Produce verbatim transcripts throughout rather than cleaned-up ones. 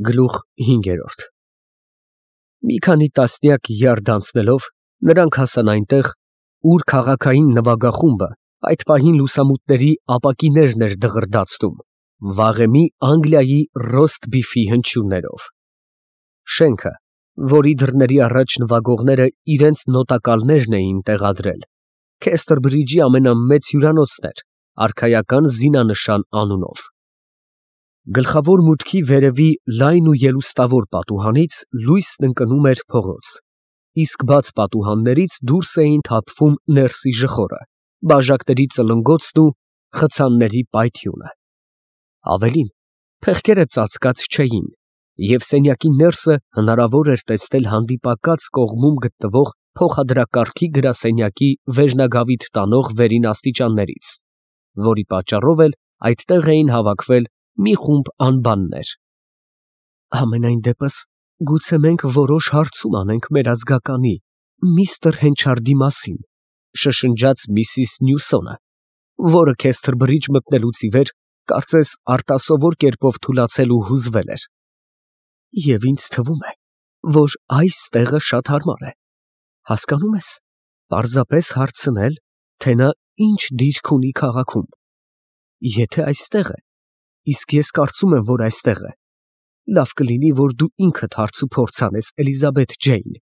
Գլուխ հինգերորդ Մի քանի տասնյակ յարդ անցնելով, նրանք հասան այնտեղ, ուր քաղաքային նվագախումբը այդ պահին լուսամուտների ապակիներն էր դղրդացնում, վաղեմի Անգլիայի ռոստ֊բիֆի հնչյուններով։ Շենքը, որի դռների առաջ նվագողները իրենց նոտակալներն էին տեղադրել, Քեսթերբրիջի ամենամեծ հյուրանոցն էր, արքայական զինանշան անունով։ Գլխավոր մուտքի վերևի լայն ու ելուստավոր պատուհանից լույսն ընկնում էր փողոց, իսկ բաց պատուհաններից դուրս էին թափվում ներսի ժխորը, բաժակների ծլնգոցն ու խցանների պայթյունը։ Ավելին, փեղկերը ծածկած չէին, և սենյակի ներսը հնարավոր էր տեսնել հանդիպակաց կողմում գտնվող փոխադրակարգի գրասենյակի վերնագավիթ տանող վերին աստիճաններից, որի պատճառով էլ այդտեղ էին հավաքվել մի խումբ անբաններ։ Համենայն դեպս, գուցե մենք որոշ հարցում անենք մեր ազգականի, միստր Հենչարդի մասին, շշնջաց միսիս Նյուսոնը, որը Քեսթերբրիջ մտնելուց ի վեր կարծես արտասովոր կերպով թուլացել ու հուզվել էր։ Եվ ինձ թվում է, որ այս տեղը շատ հարմար է, հասկանում ես, պարզապես հարցնել, թե նա ինչ դիրք ունի քաղաքում։ Եթե այստեղ է, իսկ ես կարծում եմ, որ այստեղ է, լավ կլինի, որ դու ինքդ հարց ու փորձ անես, Էլիզաբեթ Ջեյն։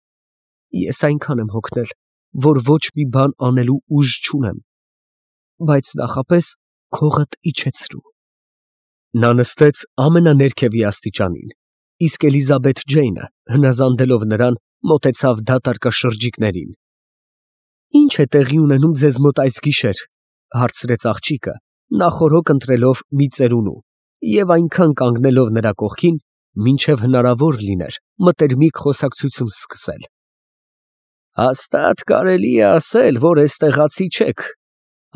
Ես այնքան եմ հոգնել, որ ոչ մի բան անելու ուժ չունեմ, բայց նախապես քողդ իջեցրու։ Նա նստեց ամենաներքևի աստիճանին, իսկ Էլիզաբեթ Ջեյնը, հնազանդելով նրան, մոտեցավ դատարկաշրջիկներին։ Ի՞նչ է տեղի ունենում ձեզ մոտ այս գիշեր, հարցրեց աղջիկը, նախօրոք ընտրելով մի ծերունու և այնքան կանգնելով նրա կողքին, մինչև հնարավոր լիներ մտերմիկ խոսակցություն սկսել։ Հաստատ կարելի է ասել, որ էստեղացի չեք,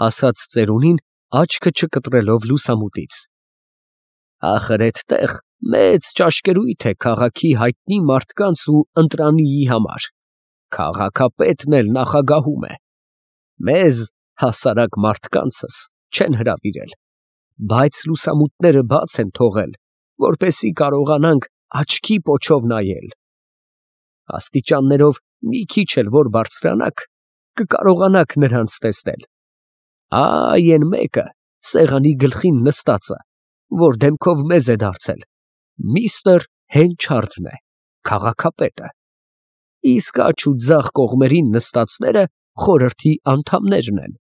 ասաց ծերունին, աչքը չկտրելով լուսամուտից։ Ախր էդտեղ մեծ ճաշկերույթ է քաղաքի հայտնի մարդկանց ու ընտրանիի համար, քաղաքապետն էլ նախագահում է։ Մեզ, հասարակ մարդկանցս, չեն հրավիրել, բայց լուսամուտները բաց են թողել, որպեսզի կարողանանք աչքի պոչով նայել։ Աստիճաններով մի քիչ էլ որ բարձրանաք, կկարողանաք նրանց տեսնել։ Այ են մեկը, սեղանի գլխին նստածը, որ դեմքով մեզ է դարձել, միստր Հենչարդն է, քաղաքապետը, իսկ աջ ու ձախ կողմերին նստածները խորհրդի անդամներն են։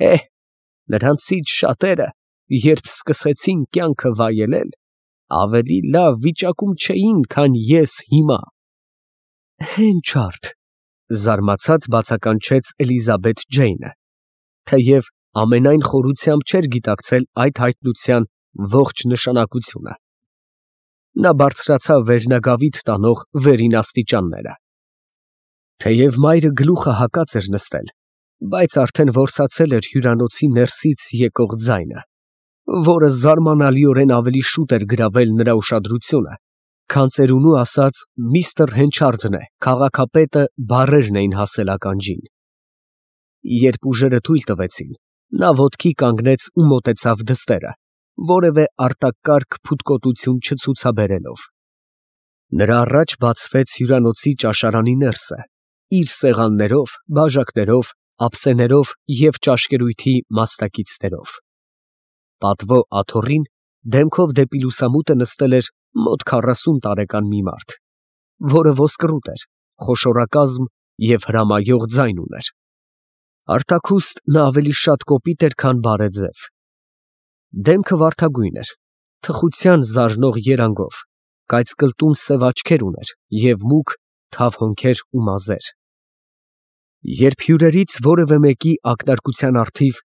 Էհ, նրանցից շատերը, երբ սկսեցին կյանքը վայելել, ավելի լավ վիճակում չէին, քան ես հիմա։ Հենչարդ, զարմացած բացականչեց Էլիզաբեթ Ջեյնը, թեև ամենայն խորությամբ չէր գիտակցել այդ հայտնության ողջ նշանակությունը։ Նա բարձրացավ վերնագավիթ տանող վերին աստիճանները։ Թեև մայրը գլուխը հակած էր նստել, բայց արդեն որսացել էր հյուրանոցի ներսից եկող ձայնը, որը զարմանալիորեն ավելի շուտ էր գրավել նրա ուշադրությունը, քան ծերունու ասած միստր Հենչարդն է, քաղաքապետը բառերն էին հասել ականջին։ Երբ ուժերը թույլ տվեցին, նա ոտքի կանգնեց ու մոտեցավ դստերը, որևէ արտակարգ փութկոտություն չցուցաբերելով։ Նրա առաջ բացվեց հյուրանոցի ճաշարանի ներսը, իր սեղաններով, բաժակներով, ափսեներով և ճաշկերույթի մասնակիցներով։ Պատվո աթոռին դեմքով դեպի լուսամուտը նստել էր մոտ քառասուն տարեկան մի մարդ, որը ոսկռուտ էր, խոշորակազմ և հրամայող ձայն ուներ։ Արտաքուստ նա ավելի շատ կոպիտ էր, քան բարեձև։ Դեմքը վարդագույն էր, թխության զարնող երանգով, կայծկլտուն սև աչքեր ուներ և մուգ, թավ հոնքեր ու մազեր։ Երբ հյուրերից որևէ մեկի ակնարկության առթիվ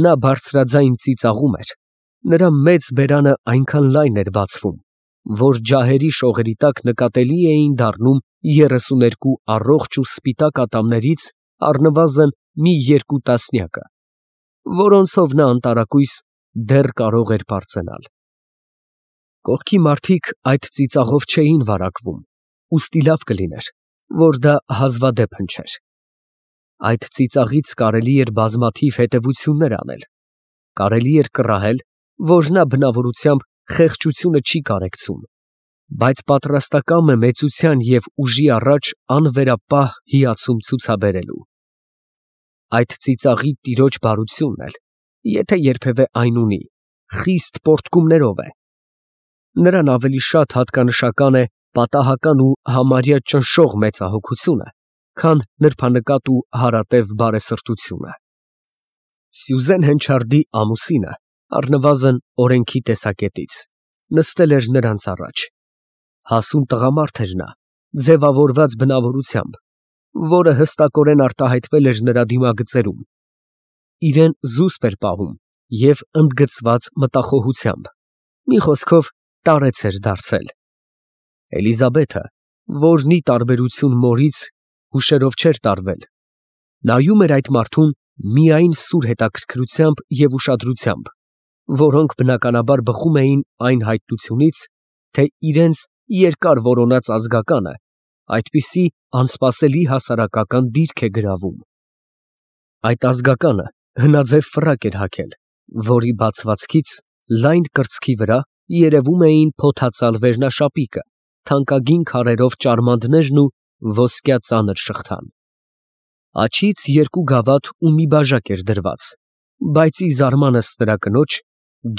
նա բարձրաձայն ծիծաղում էր, նրա մեծ բերանը այնքան լայն էր բացվում, որ ջահերի շողերի տակ նկատելի էին դառնում երեսուներկու առողջ ու սպիտակ ատամներից առնվազն մի երկու տասնյակը, որոնցով նա անտարակույս դեռ կարող էր բարձենալ։ Կողքի մարդիկ այդ ծիծաղով չէին վարակվում, ուստի լավ կլիներ, որ դա հազվադեպ հնչեր։ Այդ ծիծաղից կարելի էր բազմաթիվ հետևություններ անել, կարելի էր կռահել, որ նա բնավորությամբ խեղճությունը չի կարեկցում, բայց պատրաստակամ է մեծության և ուժի առաջ անվերապահ հիացում ցուցաբերելու։ Այդ ծիծաղի տիրոջ բարությունն էլ, եթե երբևէ այն ունի, խիստ պոռթկումներով է։ Նրան ավելի շատ հատկանշական է պատահական ու համարյա ճնշող մեծահոգությունը, քան նրբանկատ ու հարատև բարեսրտությունը։ Սյուզեն Հենչարդի ամուսինը, առնվազն օրենքի տեսակետից, նստել էր նրանց առաջ։ Հասուն տղամարդ էր նա, ձևավորված բնավորությամբ, որը հստակորեն արտահայտվել էր նրա դիմագծերում։ Իրեն զուսպ էր պահում և ընդգծված մտախոհությամբ, մի խոսքով տարեց էր դարձել։ Էլիզաբեթը, որն ի տարբերություն մորից հուշերով չէր տարվել, նայում էր այդ մարդուն միայն սուր հետաքրքրությամբ և ուշադրությամբ, որոնք բնականաբար բխում էին այն հայտնությունից, թե իրենց երկար որոնած ազգականը այդպիսի անսպասելի հասարակական դիրք է գրավում։ Այդ ազգականը հնաձև ֆրակ էր հագել, որի բացվածքից լայն կրծքի վրա երևում էին փոթացալ վերնաշապիկը, թանկագին քարերով ճարմանդներն ու ոսկյա ծանր շղթան։ Աջից երկու գավաթ ու մի բաժակ էր դրված, բայց ի զարմանս նրա կնոջ,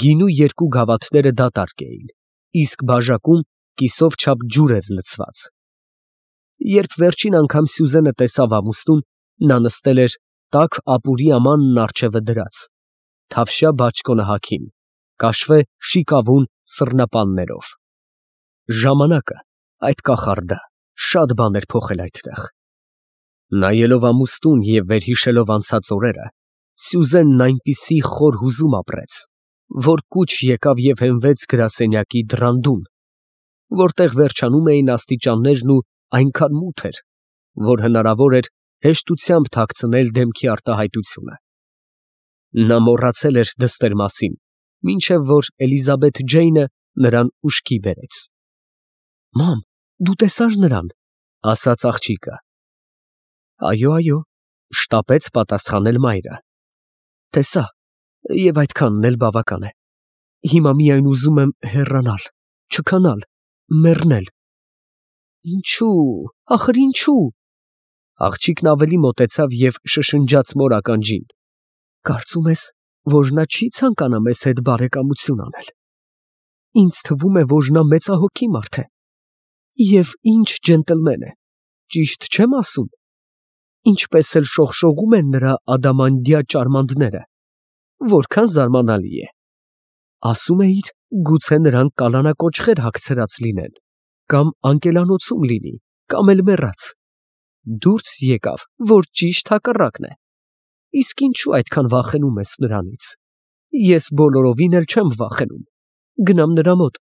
գինու երկու գավաթները դատարկ էին, իսկ բաժակում կիսով չափ ջուր էր լցված։ Երբ վերջին անգամ Սյուզենը տեսավ ամուսնուն, նա նստել էր տաք ապուրի ամանն առջևը դրած, թավշյա բաճկոնը հագին, կաշվե շիկավուն սռնապաններով։ Ժամանակը, այդ կախարդը, շատ բան էր փոխել այդտեղ։ Նայելով ամուսնուն և վերհիշելով անցած օրերը, Սյուզենն այնպիսի խոր հուզում ապրեց, որ կուչ եկավ և հենվեց գրասենյակի դռան դուն, որտեղ վերջանում էին աստիճաններն ու այնքան մութ էր, որ հնարավոր էր հեշտությամբ թաքցնել դեմքի արտահայտությունը։ Նա մոռացել էր դստեր մասին, մինչև որ Էլիզաբեթ Ջեյնը նրան ուշքի բերեց։ ֊ Մամ, դու տեսա՞ր նրան, ֊ ասաց աղջիկը։ ֊ Այո, այո, ֊ շտապեց պատասխանել մայրը։ ֊ Տեսա, և այդքանն էլ բավական է։ Հիմա միայն ուզում եմ հեռանալ, չքանալ, մեռնել։ ֊ Ինչո՞ւ, ախր ինչո՞ւ։ Աղջիկն ավելի մոտեցավ և շշնջաց մոր ականջին. կարծում ես, որ նա չի ցանկանա մեզ հետ բարեկամություն անել։ Ինձ թվում է, որ նա մեծահոգի մարդ է։ Եվ ինչ ջենտլմեն է, ճիշտ չե՞մ ասում։ Ինչպես էլ շողշողում են նրա ադամանդյա ճարմանդները, որքան զարմանալի է։ Ասում էիր, գուցե նրանք կալանակոճղեր հագցրած լինեն, կամ անկելանոցում լինի, կամ էլ մեռած։ Դուրս եկավ, որ ճիշտ հակառակն է։ Իսկ ինչու այդքան վախենում ես նրանից։ Ես բոլորովին էլ չեմ վախենում, գնամ նրա մոտ,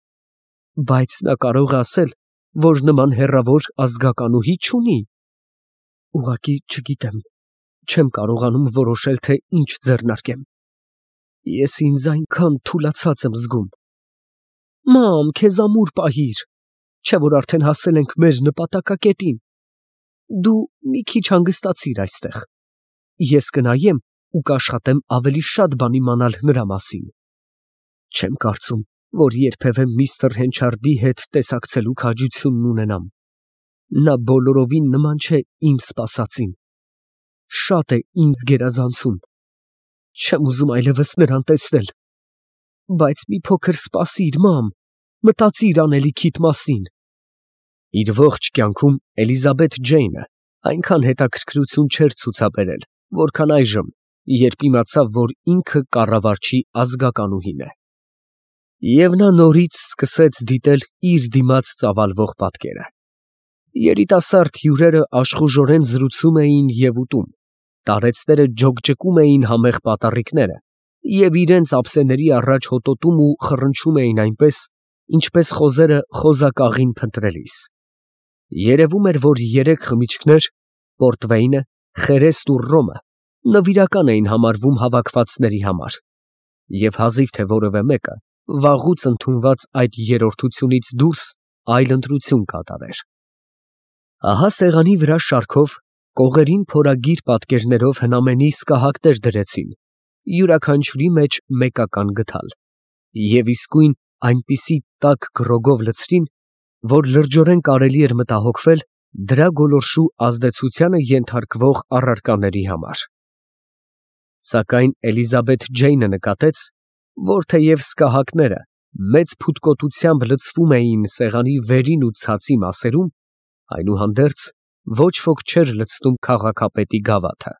բայց նա կարող է ասել, որ նման հեռավոր ազգականուհի չունի։ Ուղղակի չգիտեմ, չեմ կարողանում որոշել, թե ինչ ձեռնարկեմ։ Ես ինձ այնքան թուլացած եմ զգում։ Մամ, քեզ ամուր պահիր, չէ՞ որ արդեն հասել ենք մեր նպատակակետին։ Դու մի քիչ հանգստացիր այստեղ։ Ես կնայեմ ու կաշխատեմ ավելի շատ բան իմանալ նրա մասին։ Չեմ կարծում, որ երբևէ միստր Հենչարդի հետ տեսակցելու քաջությունն ունենամ։ Նա բոլորովին նման չէ իմ սպասածին։ Շատ է ինձ գերազանցում։ Չեմ ուզում այլևս նրան տեսնել։ Բայց մի փոքր սպասիր, մամ, մտածիր անելիքիդ մասին։ Իր ողջ կյանքում Էլիզաբեթ Ջեյնը այնքան հետաքրքրություն չէր ցուցաբերել, որքան այժմ, երբ իմացավ, որ ինքը կառավարչի ազգականուհին է։ Եվ նա նորից սկսեց դիտել իր դիմաց ծավալվող պատկերը։ Երիտասարդ հյուրերը աշխուժորեն զրուցում էին և ուտում, տարեցները ջոկջկում էին համեղ պատառիկները և իրենց ափսեների առաջ հոտոտում ու խռնչում էին այնպես, ինչպես խոզերը խոզակաղին փնտրելիս։ Երևում էր, որ երեք խմիչքներ՝ պորտվեյնը, խերեստ ու ռոմը, նվիրական էին համարվում հավաքվածների համար, և հազիվ թե որևէ մեկը վաղուց ընդունված այդ երրորդությունից դուրս այլ ընտրություն կատարեր։ Ահա սեղանի վրա շարքով, կողերին փորագիր պատկերներով հնամենի սկահակներ դրեցին, յուրաքանչյուրի մեջ մեկական գդալ, և իսկույն այնպիսի տաք գրոգով լցրին, որ լրջորեն կարելի էր մտահոգվել դրա գոլորշու ազդեցությանը ենթարկվող առարկաների համար։ Սակայն Էլիզաբեթ Ջեյնը նկատեց, որ թեև սկահակները մեծ փութկոտությամբ լցվում էին սեղանի վերին ու ցածի մասերում, այնուհանդերձ ոչ ոք չէր լցնում քաղաքապետի գավաթը։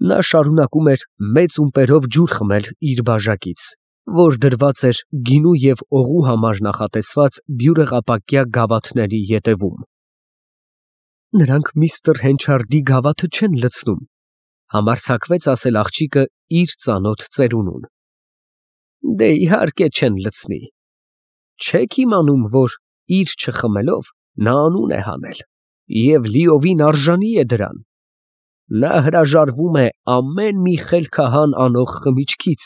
Նա շարունակում էր մեծ ումպերով ջուր խմել իր բաժակից, որ դրված էր գինու և օղու համար նախատեսված բյուրեղապակյա գավաթների ետևում։ «Նրանք միստր Հենչարդի գավաթը չեն լցնում», համարձակվեց ասել աղջիկը իր ծանոթ ծերունուն։ «Դե իհարկե չեն լցնի։ Չեք իմանում, որ իր չխմելով նա անուն է հանել և լիովին արժանի է դրան։ Նա հրաժարվում է ամեն մի խելքահան անող խմիչքից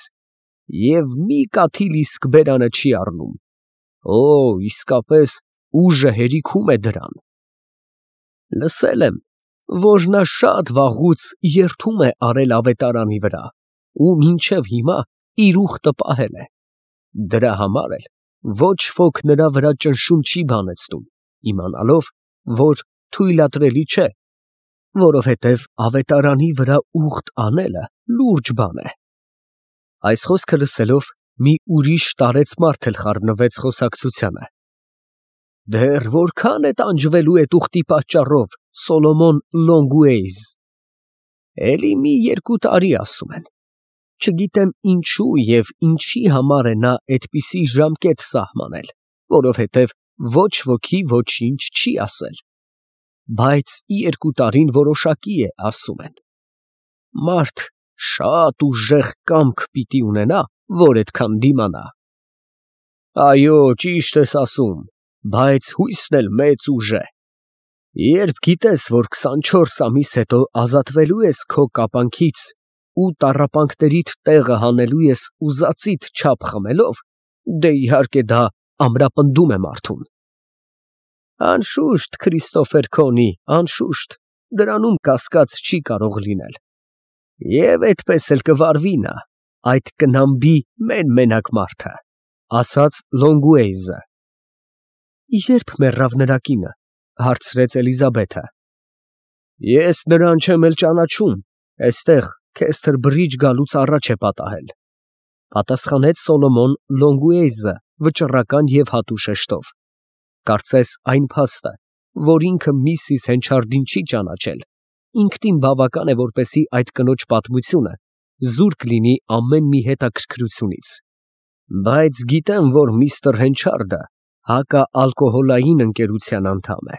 և մի կաթիլ իսկ բերանը չի առնում։ Օ, իսկապես ուժը հերիքում է դրան։ Լսել եմ, որ նա շատ վաղուց երդում է արել ավետարանի վրա ու մինչև հիմա իր ուխտը պահել է։ Դրա համար էլ ոչ ոք նրա վրա ճնշում չի բանեցնում, իմանալով, որ թույլատրելի չէ, որովհետև ավետարանի վրա ուխտ անելը լուրջ բան է»։ Այս խոսքը լսելով, մի ուրիշ տարեց մարդ էլ խառնվեց խոսակցությանը։ «Դեռ որքա՞ն է տանջվելու էդ ուխտի պատճառով, Սոլոմոն Լոնգուեյզ»։ «Էլի մի երկու տարի, ասում են։ Չգիտեմ ինչու և ինչի համար է նա այդպիսի ժամկետ սահմանել, որովհետև ոչ ոքի ոչինչ չի ասել։ Բայց երկու տարին որոշակի է, ասում են։ Մարդ շատ ուժեղ կամք պիտի ունենա, որ այդքան դիմանա»։ «Այո, ճիշտ ես ասում, բայց հույսն էլ մեծ ուժ է։ Երբ գիտես, որ քսանչորս ամիս հետո ազատվելու ես քո կապանքից ու տառապանքներիդ տեղը հանելու ես ուզածիդ չափ խմելով, դե իհարկե դա ամրապնդում է մարդուն»։ «Անշուշտ, Քրիստոֆեր Քոնի, անշուշտ, դրանում կասկած չի կարող լինել։ Եվ այդպես էլ կվարվի նա, այդ կնամբի մեն֊մենակ մարդը», ասաց Լոնգուեյզը։ «Ե՞րբ մեռավ նրա կինը», հարցրեց Էլիզաբեթը։ «Ես նրան չեմ էլ ճանաչում, էստեղ Քեսթեր Բրիջ գալուց առաջ է պատահել», պատասխանեց Սոլոմոն Լոնգուեյզը վճռական և հատու շեշտով։ Կարծես այն փաստը, որ ինքը միսիս Հենչարդին չի ճանաչել, ինքնին բավական է, որպեսզի այդ կնոջ պատմությունը զուրկ լինի ամեն մի հետաքրքրությունից։ «Բայց գիտեմ, որ միստր Հենչարդը հակաալկոհոլային ընկերության անդամ է,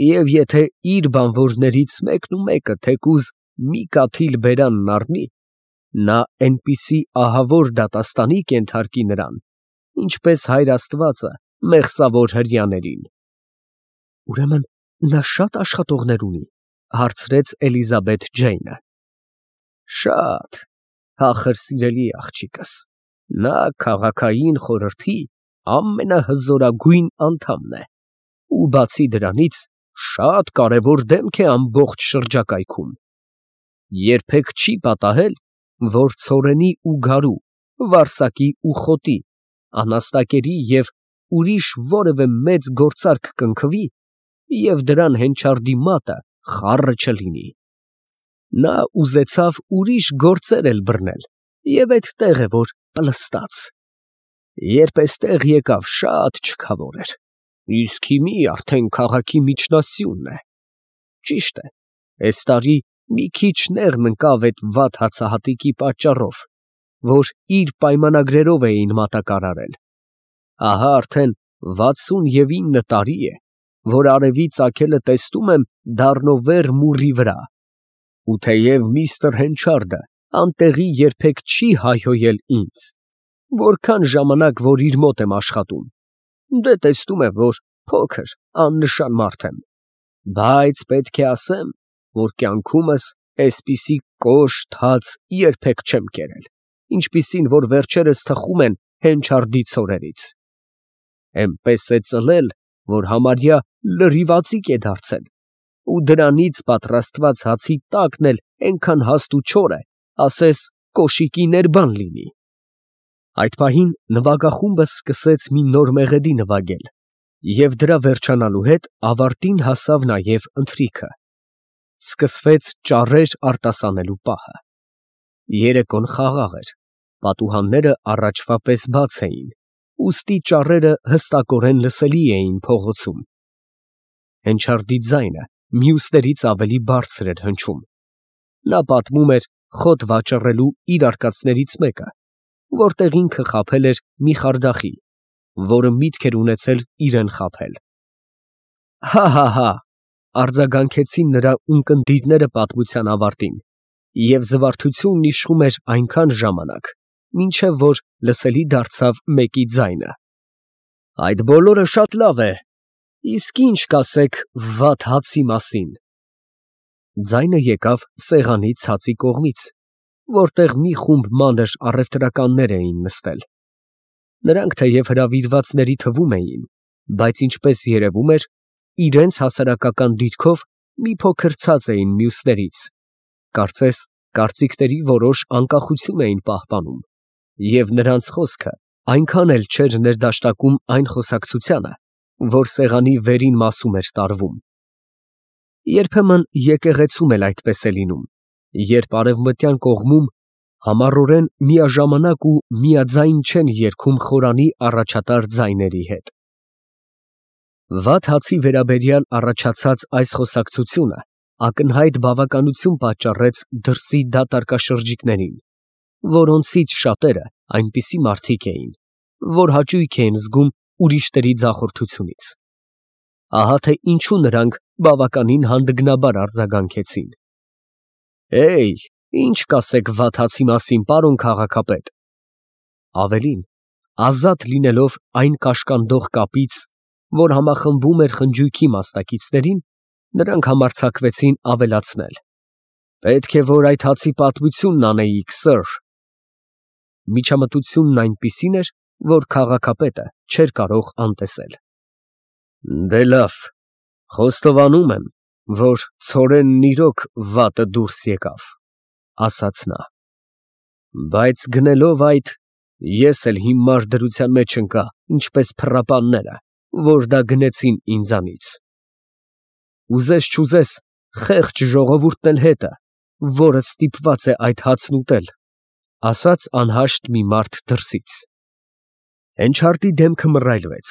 և եթե իր բանվորներից մեկնումեկը թեկուզ մի կաթիլ բերանն առնի, նա էնպիսի ահավոր դատաստանի կենթարկի նրան, ինչպես Հայր Աստվածը մեղսավոր հրեաներին»։ «Ուրեմն նա շատ աշխատողներ ունի», հարցրեց Էլիզաբեթ Ջեյնը։ «Շատ, փախր սիրելի աղջիկս, նա քաղաքային խորհրդի ամենահզորագույն անդամն է ու բացի դրանից շատ կարևոր դեմք է ամբողջ շրջակայքում։ Երբեք չի պատահել, որ ցորենի ու գարու, վարսակի ու խոտի, անաստակերի և ուրիշ որևէ մեծ գործարք կնքվի և դրան Հենչարդի մատը խառը չլինի։ Նա ուզեցավ ուրիշ գործեր էլ բռնել և էդտեղ է որ պլստած։ Երբ էստեղ եկավ, շատ չքավոր էր, իսկ հիմի արդեն քաղաքի միջնասյունն է։ Ճիշտ է, էս տարի մի քիչ նեղն ընկավ էդ վատ հացահատիկի պատճառով, որ իր պայմանագրերով էին մատակարարել։ Ահա արդեն վաթսուն և ինը տարի է, որ արևի ծագելը տեսնում եմ դառնովեր մուրի վրա, ու թեև միստր Հենչարդը անտեղի երբեք չի հայհոյել ինձ, որքան ժամանակ որ իր մոտ եմ աշխատում, դե տեսնում է, որ փոքր, աննշան մարդ եմ, բայց պետք է ասեմ, որ կյանքումս էսպիսի կոշտ հաց երբեք չեմ կերել, ինչպիսին որ վերջերս թխում են Հենչարդի ցորերից։ Էնպես է ծլել, որ համարյա լրիվածիկ է դարձել, ու դրանից պատրաստված հացի տակն էլ էնքան հաստ ու չոր է, ասես կոշիկի ներբան լինի։ Այդ պահին նվագախումբը սկսեց մի նոր մեղեդի նվագել, Եվ դրա վերջանալու հետ ավարտին հասավ նաև ընթրիքը. սկսվեց ճառեր արտասանելու պահը։ Երեկոն խաղաղ էր, պատուհանները առաջվա պես բաց էին, ուստի ճառերը հստակորեն լսելի էին փողոցում։ Հենչարդի ձայնը մյուսներից ավելի բարձր էր հնչում։ Նա պատմում էր խոտ վաճառելու իր արկածներից մեկը, որտեղ ինքը խաբել էր մի խարդախի, որը միտք էր ունեցել իրեն խաբել։ Հա՛֊հա՛֊հա՛, արձագանքեցին նրա ունկնդիրները պատմության ավարտին, և զվարթությունն իշխում էր այնքան ժամանակ, մինչև որ լսելի դարձավ մեկի ձայնը. այդ բոլորը շատ լավ է, իսկ ի՞նչ կասեք վատ հացի մասին։ Ձայնը եկավ սեղանի ցածի կողմից, որտեղ մի խումբ մանր առևտրականներ էին նստել։ Նրանք թեև հրավիրվածների թվում էին, բայց ինչպես երևում էր, իրենց հասարակական դիրքով մի փոքր ցած էին մյուսներից, կարծես կարծիքների որոշ անկախություն էին պահպանում, և նրանց խոսքը այնքան էլ չէր ներդաշնակում այն խոսակցությանը, որ սեղանի վերին մասում էր տարվում։ Երբեմն եկեղեցում էլ այդպես է լինում, երբ արևմտյան կողմում համառորեն միաժամանակ ու միաձայն չեն երգում խորանի առաջատար ձայների հետ։ Վատ հացի վերաբերյալ առաջացած այս խոսակցությունը ակնհայտ բավականություն պատճառեց դրսի դատարկաշրջիկներին, որոնցից շատերը այնպիսի մարդիկ էին, որ հաճույք էին զգում ուրիշների ձախորդությունից։ Ահա թե ինչու նրանք բավականին հանդգնաբար արձագանքեցին. «Հեյ, ի՞նչ կասեք վատ հացի մասին, պարոն քաղաքապետ»։ Ավելին, ազատ լինելով այն կաշկանդող կապից, որ համախմբում էր խնջույքի մասնակիցներին, նրանք համարձակվեցին ավելացնել. «Պետք է որ այդ հացի պատմությունն անեիք, սըր»։ Միջամտությունն այնպիսին էր, որ քաղաքապետը չէր կարող անտեսել։ «Դե լավ, խոստովանում եմ, որ ցորենն իրոք վատը դուրս եկավ», ֊ ասաց նա, «բայց գնելով այդ, ես էլ հիմար դրության մեջ ընկա, ինչպես փռապանները, որ դա գնեցին ինձանից։ Ուզես֊չուզես, խեղճ ժողովուրդն էլ հետը, որը ստիպված է այդ հացն ուտել», ֊ ասաց անհաշտ մի մարդ դրսից։ Հենչարդի դեմքը մռայլվեց։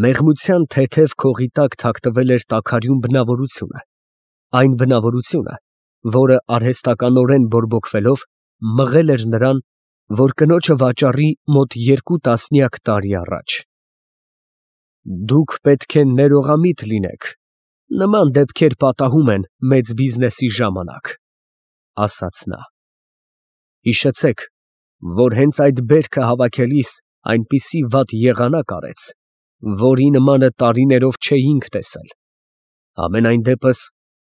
Մեղմության թեթև քողի տակ թաքնվել էր տաքարյուն բնավորությունը, այն բնավորությունը, որը արհեստականորեն բորբոքվելով մղել էր նրան, որ կնոջը վաճառի մոտ երկու տասնյակ տարի առաջ։ «Դուք պետք է ներողամիտ լինեք, նման դեպքեր պատահում են մեծ բիզնեսի ժամանակ», ֊ ասաց նա։ «Հիշեցեք, որ հենց այդ բերքը հավաքելիս այնպիսի վատ եղանակ արեց, որի նմանը տարիներով չէինք տեսել։ Համենայն դեպս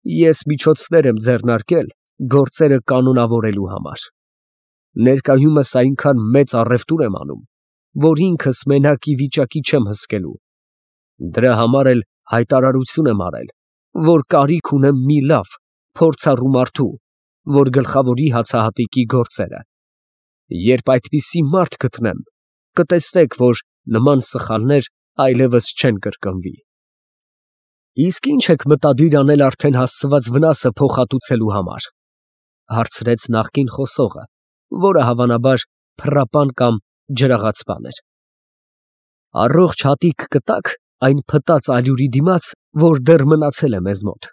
ես միջոցներ եմ ձեռնարկել գործերը կանոնավորելու համար։ Ներկայումս այնքան մեծ առևտուր եմ անում, որ ինքս մենակ ի վիճակի չեմ հսկելու։ Դրա համար էլ հայտարարություն եմ արել, որ կարիք ունեմ մի լավ, փորձառու մարդու, որ գլխավորի հացահատիկի գործերը։ Երբ այդպիսի մարդ գտնեմ, կտեսնեք, որ նման սխալներ այլևս չեն կրկնվի»։ «Իսկ ի՞նչ եք մտադիր անել արդեն հասցված վնասը փոխհատուցելու համար», ֊ հարցրեց նախկին խոսողը, որը հավանաբար փռապան կամ ջրաղացպան էր։ «Առողջ հատիկ կտա՞ք այն փտած ալյուրի դիմաց, որ դեռ մնացել է մեզ մոտ»։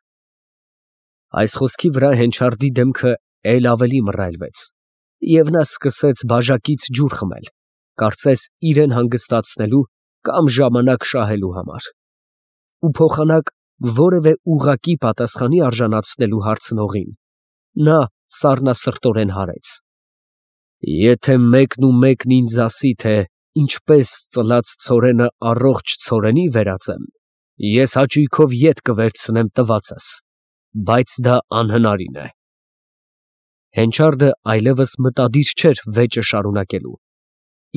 Այս խոսքի վրա Հենչարդի դեմքը էլ ավելի մռայլվեց, և նա սկսեց բաժակից ջուր խմել, կարծես իրան հանգստացնելու կամ ժամանակ շահելու համար, ու փոխանակ որևէ ուղղակի պատասխանի արժանացնելու հարցնողին, նա սառնասրտորեն հարեց. «Եթե մեկն ու մեկն ինձ ասի, թե ինչպես ծլած ցորենը առողջ ցորենի վերածեմ, ես հաճույքով ետ կվերցնեմ տվածս, բայց դա անհնարին է»։ Հենչարդը այլևս մտադիր չէր վեճը շարունակելու։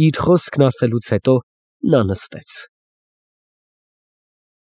Իր խոսքն ասելուց հետո նա նստեց։